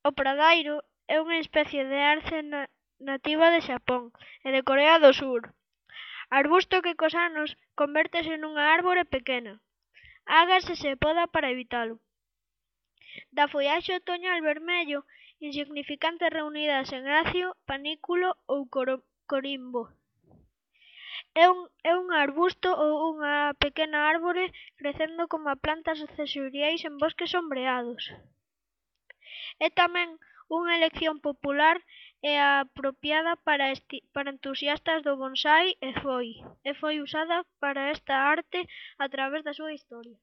O pradairo é unha especie de arce nativa de Xapón e de Corea do Sur. Arbusto que cos anos convértese nunha árbore pequena. Ágase se poda para evitalo. Da follaxe otoñal vermello, insignificantes reunidas en acio, panículo ou corimbo. É un arbusto ou unha pequena árbore crecendo como plantas accesoriais en bosques sombreados. É tamén unha elección popular e apropiada para entusiastas do bonsai e foi usada para esta arte a través da súa historia.